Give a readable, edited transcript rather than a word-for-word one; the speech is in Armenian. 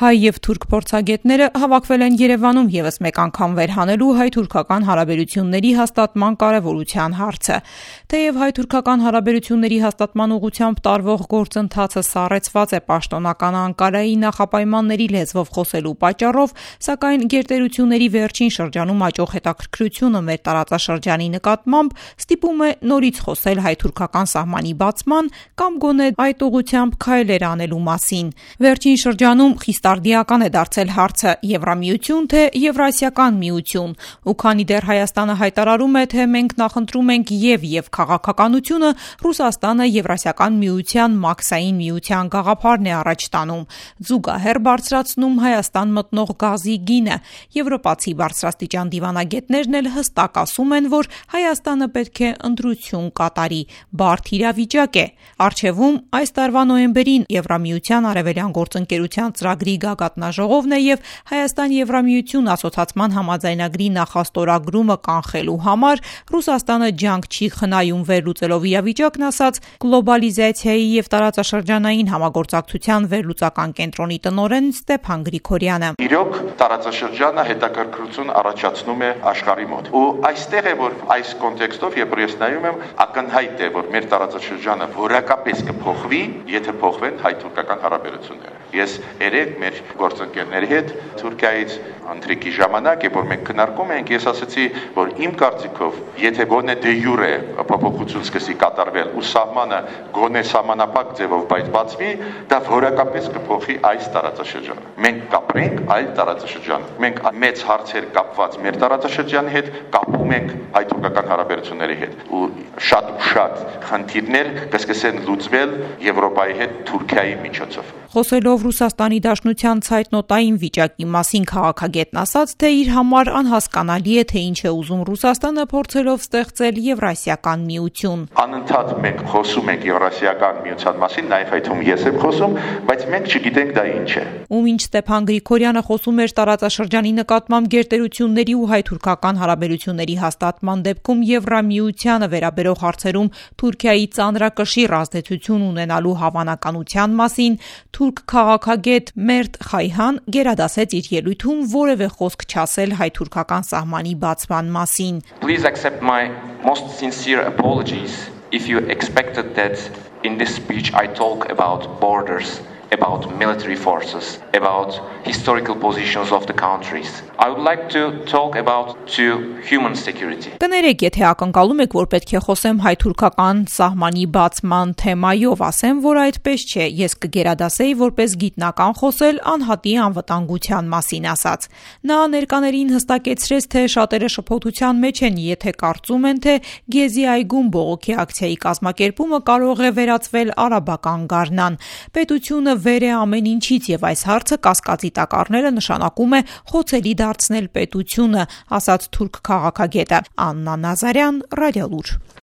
Հայ եւ թուրք փորձագետները հավաքվել են Երևանում եւս մեկ անգամ վերհանելու հայ-թուրքական հարաբերությունների հաստատման կարեւորության հարցը։ Թեև հայ-թուրքական հարաբերությունների հաստատման ուղղությամբ տարվող գործընթացը սառեցված է պաշտոնական Անկարայի նախապայմանների լեզվով խոսելու պատճառով, սակայն գերտերությունների վերջին շրջանում աճող հետաքրքրությունը մեր տարածաշրջանի նկատմամբ ստիպում է նորից խոսել հայ-թուրքական սահմանի բացման կամ գոնե այդ ուղղությամբ քայլեր անելու մասին։ Վերջին շրջանում խիստարդիական է դարձել հարցը Եվրամիություն թե Եվրասիական միություն, ու քանի դեռ Հայաստանը հայտարարում է, թե մենք նախընտրում ենք եւ քաղաքականությունը, Ռուսաստանը Եվրասիական միության մաքսային միության գաղափարն է առաջ տանում, զուգահեռ բարձրացնում Հայաստան մտնող գազի գինը։ Եվրոպացի բարձրաստիճան դիվանագետներն էլ հստակ ասում են, որ Հայաստանը պետք է ընտրություն կատարի, բարդ իրավիճակ է։ Առջևում այս տարվա նոյեմբերին Եվրամիության արևելյան գործընկերության ծրագրի գագաթնաժողովն է եւ Հայաստան-Եվրամիություն ասոցացման համաձայնագրի նախաստորագրումը կանխելու համար Ռուսաստանը ջանք չի խնայում վերլուծելով իրավիճակն, ասաց գլոբալիզացիայի եւ տարածաշրջանային համագործակցության վերլուծական կենտրոնի տնօրեն Ստեփան Գրիգորյանը։ Իրոք տարածաշրջանը հետաքրքրություն առաջացնում է աշխարհի մոտ։ Ու այստեղ է, որ այս կոնտեքստով երբ ես նայում եմ, ակնհայտ է, որ մեր տարածաշրջանը որակապես կփոխվի, եթե փոխվեն հայ-թուրքական հարաբերությունները։ Ես երեք մեր գործընկերների հետ Թուրքիայից ընթրիքի ժամանակ, երբ մենք քննարկում ենք, ես ասացի, որ իմ կարծիքով, եթե գոնե դե յուրե փոփոխություն սկսի կատարվել ու սահմանը գոնե սահմանափակ ձևով բացվի, դա որակապես կփոխի այս տարածաշրջանը։ Մենք կապրենք այլ տարածաշրջան։ Մենք մեծ հարցեր կապված մեր տարածաշրջանի հետ կապում ենք հայ-թուրքական հարաբերությունների հետ ու շատ խնդիրներ կսկսեն լուծվել Եվրոպայի հետ Թուրքիայի միջոցով։ Խոսելով Ռուսաստանի Դաշնության ցայտնոտային վիճակի մասին քաղաքագետն ասաց, թե իր համար անհասկանալի է, թե ինչ է ուզում Ռուսաստանը փորձելով ստեղծել Եվրասիական միություն։ Անընդհատ մենք խոսում ենք Եվրասիական միության մասին, նաև այդում ես եմ խոսում, բայց մենք չգիտենք դա ինչ է։ Ու ինչ Ստեփան Գրիգորյանը խոսում էր տարածաշրջանի նկատմամբ գերտերությունների ու հայ-թուրքական հարաբերությունների հաստատման դեպքում Եվրամիությանը վերաբերող հարցերում Թուրքիայի ծանրակշիռ ազդեցություն ունենալու հավանականության մասին, թուրք քաղաքագետ Մերտ Խայհան գերադասեց իր ելույթում որևէ խոսք չասել հայ-թուրքական սահմանի բացման մասին։ Please accept my most sincere apologies if you expected that in this speech I talk about borders, about military forces, about historical positions of the countries. I would like to talk about human security. Կներեք, եթե ակնկալում եք, որ պետք է խոսեմ հայ-թուրքական սահմանի բացման թեմայով, ասեմ, որ այդպես չէ, ես կգերադասեի որպես գիտնական խոսել անհատի անվտանգության մասին, ասաց։ Նա ներկաներին հստակեցրեց, թե շատերը շփոթության մեջ են, եթե կարծում են, թե Գեզի այգում բողոքի ակցիայի կազմակերպումը կարող է վերածվել արաբական գարնան։ Պետությունը վեր է ամեն ինչից եւ այս հարցը կասկածի տակ առնելը նշանակում է խոցելի դարձնել պետությունը, ասաց թուրք քաղաքագետը։ Աննա Նազարյան, Ռադիոլուր։